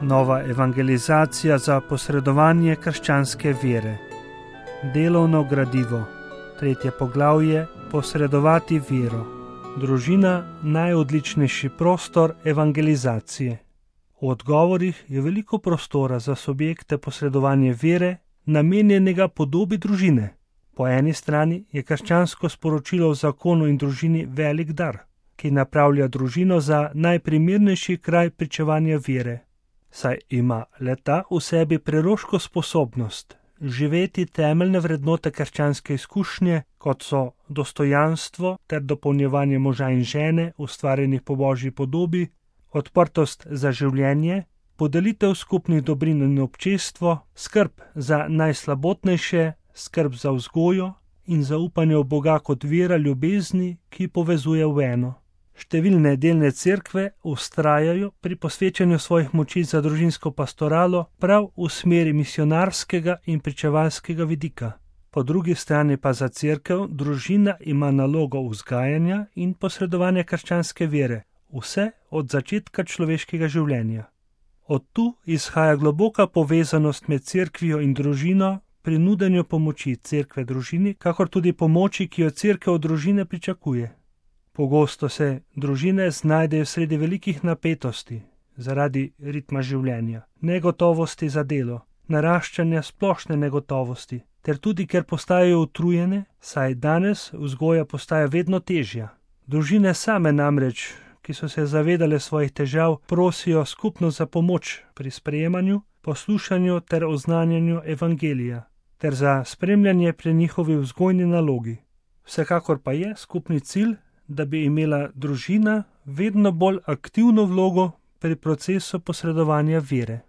Nova evangelizacija za posredovanje krščanske vere. Delovno gradivo. 3. poglavje. Posredovati vero. Družina najodličnejši prostor evangelizacije. V odgovorih je veliko prostora za subjekte posredovanja vere, namenjenega podobi družine. Po eni strani je krščansko sporočilo v zakonu in družini velik dar, ki napravlja družino za najprimernejši kraj pričevanja vere, saj ima le-ta v sebi preroško sposobnost živeti temeljne vrednote krščanske izkušnje, kot so dostojanstvo ter dopolnjevanje moža in žene, ustvarjenih po Božji podobi, odprtost za življenje, podelitev skupnih dobrin in občestvo, skrb za najslabotnejše, skrb za vzgojo in zaupanje v Boga kot vera ljubezni, ki povezuje v eno. Številne delne cerkve vztrajajo pri posvečanju svojih moči za družinsko pastoralo prav v smeri misionarskega in pričevalskega vidika. Po drugi strani pa za cerkev družina ima nalogo vzgajanja in posredovanja krščanske vere, vse od začetka človeškega življenja. Od tu izhaja globoka povezanost med cerkvijo in družino pri nudenju pomoči cerkve družini, kakor tudi pomoči, ki jo cerkev od družine pričakuje. Pogosto se družine znajdejo sredi velikih napetosti zaradi ritma življenja, negotovosti za delo, naraščanja splošne negotovosti, ter tudi ker postajajo utrujene, saj danes vzgoja postaja vedno težja. Družine same namreč, ki so se zavedale svojih težav, prosijo skupno za pomoč pri sprejemanju, poslušanju ter oznanjanju evangelija, ter za spremljanje pri njihovi vzgojni nalogi. Vsekakor pa je skupni cilj, da bi imela družina vedno bolj aktivno vlogo pri procesu posredovanja vere.